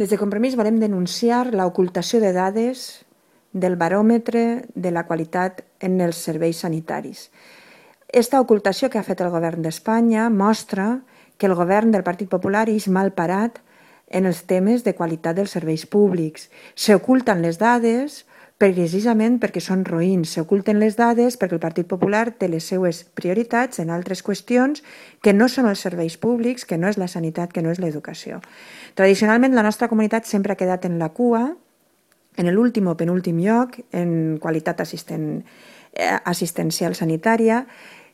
Des de Compromís volem denunciar l'ocultació de dades del baròmetre de la qualitat en els serveis sanitaris. Esta ocultació que ha fet el govern d'Espanya mostra que el govern del Partit Popular és mal parat en els temes de qualitat dels serveis públics. S'oculten les dades precisament perquè són roïns. S'oculten les dades perquè el Partit Popular té les seues prioritats en altres qüestions que no són els serveis públics, que no és la sanitat, que no és l'educació. Tradicionalment, la nostra comunitat sempre ha quedat en la cua, en l'últim o penúltim lloc, en qualitat assistencial sanitària.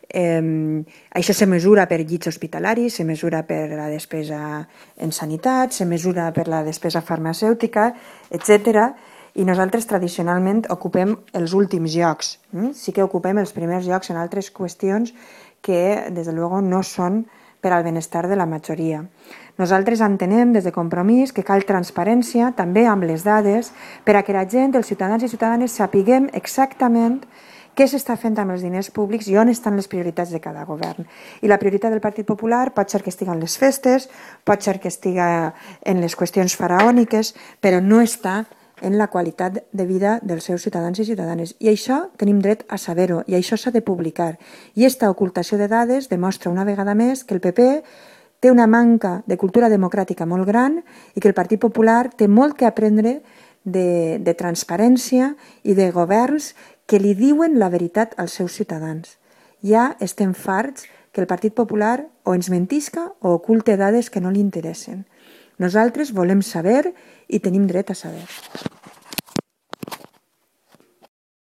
Això se mesura per llits hospitalaris, se mesura per la despesa en sanitat, se mesura per la despesa farmacèutica, etc. I nosaltres tradicionalment ocupem els últims llocs. Sí que ocupem els primers llocs en altres qüestions que, des de luego, no són per al benestar de la majoria. Nosaltres entenem des de Compromís que cal transparència, també amb les dades, per a que la gent, els ciutadans i ciutadanes, sapiguem exactament què s'està fent amb els diners públics i on estan les prioritats de cada govern. I la prioritat del Partit Popular pot ser que estigui en les festes, pot ser que estigui en les qüestions faraòniques, però no està en la qualitat de vida dels seus ciutadans i ciutadanes. I això tenim dret a saber-ho, i això s'ha de publicar. I aquesta ocultació de dades demostra una vegada més que el PP té una manca de cultura democràtica molt gran i que el Partit Popular té molt que aprendre de transparència i de governs que li diuen la veritat als seus ciutadans. Ja estem farts que el Partit Popular o ens mentisca o oculte dades que no li interessen. Nosaltres volem saber i tenim dret a saber.